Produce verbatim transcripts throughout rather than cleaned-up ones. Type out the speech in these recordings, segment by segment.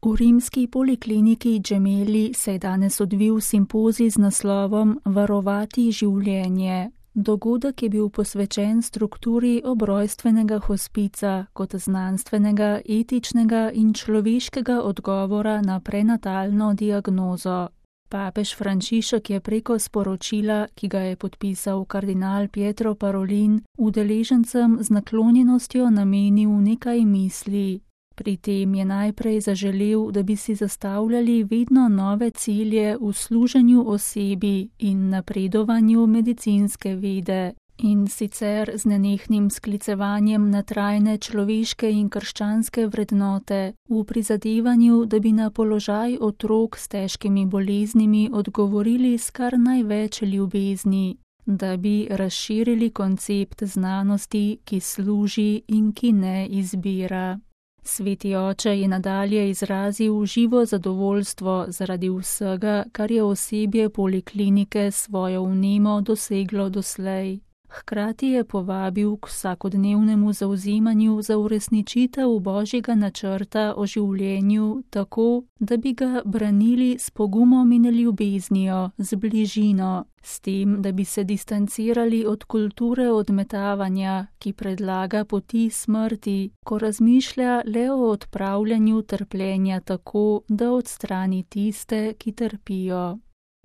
V rimski polikliniki Gemelli se je danes odvil simpozij z naslovom Varovati življenje. Dogodek je bil posvečen strukturi obrojstvenega hospica kot znanstvenega, etičnega in človeškega odgovora na prenatalno diagnozo. Papež Frančišek je preko sporočila, ki ga je podpisal kardinal Pietro Parolin, udeležencem z naklonjenostjo namenil nekaj misli. Pri tem je najprej zaželel, da bi si zastavljali vedno nove cilje v služenju osebi in napredovanju medicinske vede, in sicer z nenehnim sklicevanjem na trajne človeške in krščanske vrednote, v prizadevanju, da bi na položaj otrok s težkimi boleznimi odgovorili s kar največ ljubezni, da bi razširili koncept znanosti, ki služi in ki ne izbira. Sveti oče je nadalje izrazil živo zadovoljstvo zaradi vsega, kar je osebje poliklinike s svojo vnemo doseglo doslej. Hkrati je povabil k vsakodnevnemu zavzemanju za uresničitev božjega načrta o življenju tako, da bi ga branili s pogumom in ljubeznijo, z bližino, s tem, da bi se distancirali od kulture odmetavanja, ki predlaga poti smrti, ko razmišlja le o odpravljanju trpljenja tako, da odstrani tiste, ki trpijo.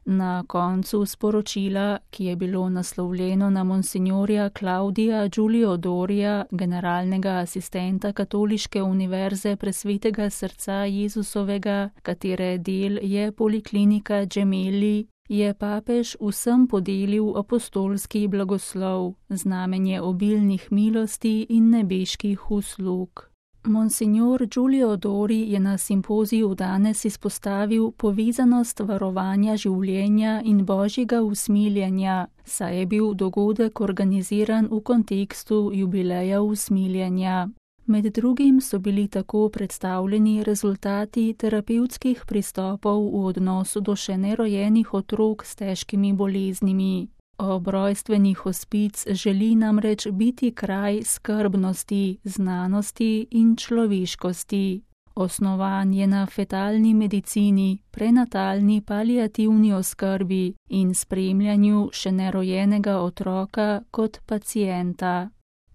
Na koncu sporočila, ki je bilo naslovljeno na monsignorja Claudia Giulio Doria, generalnega asistenta Katoliške univerze Presvetega srca Jezusovega, katere del je poliklinika Gemelli, je papež vsem podelil apostolski blagoslov, znamenje obilnih milosti in nebeških uslug. Monsignor Giulio Dori je na simpoziju danes izpostavil povezanost varovanja življenja in božjega usmiljenja, saj je bil dogodek organiziran v kontekstu jubileja usmiljenja. Med drugim so bili tako predstavljeni rezultati terapevtskih pristopov v odnosu do še nerojenih otrok s težkimi boleznimi. Obrojstveni hospic želi namreč biti kraj skrbnosti, znanosti in človeškosti. Osnovan je na fetalni medicini, prenatalni paliativni oskrbi in spremljanju še nerojenega otroka kot pacienta.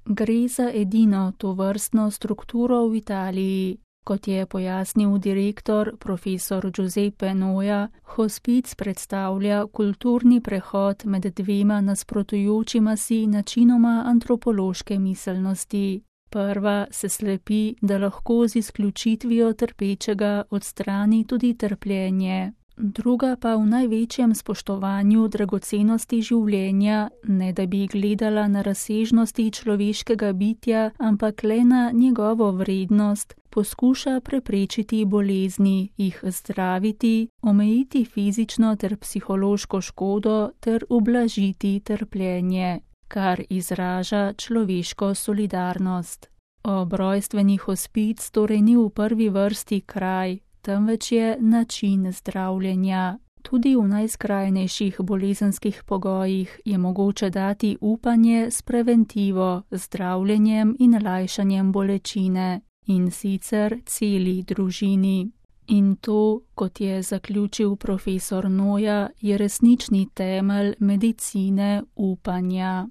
Gre za edino tovrstno strukturo v Italiji. Kot je pojasnil direktor, profesor Giuseppe Noja, hospic predstavlja kulturni prehod med dvema nasprotujočima si načinoma antropološke miselnosti. Prva se slepi, da lahko z izključitvijo trpečega odstrani tudi trpljenje. Druga pa v največjem spoštovanju dragocenosti življenja, ne da bi gledala na razsežnosti človeškega bitja, ampak le na njegovo vrednost, poskuša preprečiti bolezni, jih zdraviti, omejiti fizično ter psihološko škodo ter ublažiti trpljenje, kar izraža človeško solidarnost. Obrojstveni hospic torej ni v prvi vrsti kraj, temveč je način zdravljenja. Tudi v najskrajnejših bolezenskih pogojih je mogoče dati upanje s preventivo, zdravljenjem in lajšanjem bolečine, in sicer celi družini. In to, kot je zaključil profesor Noja, je resnični temelj medicine upanja.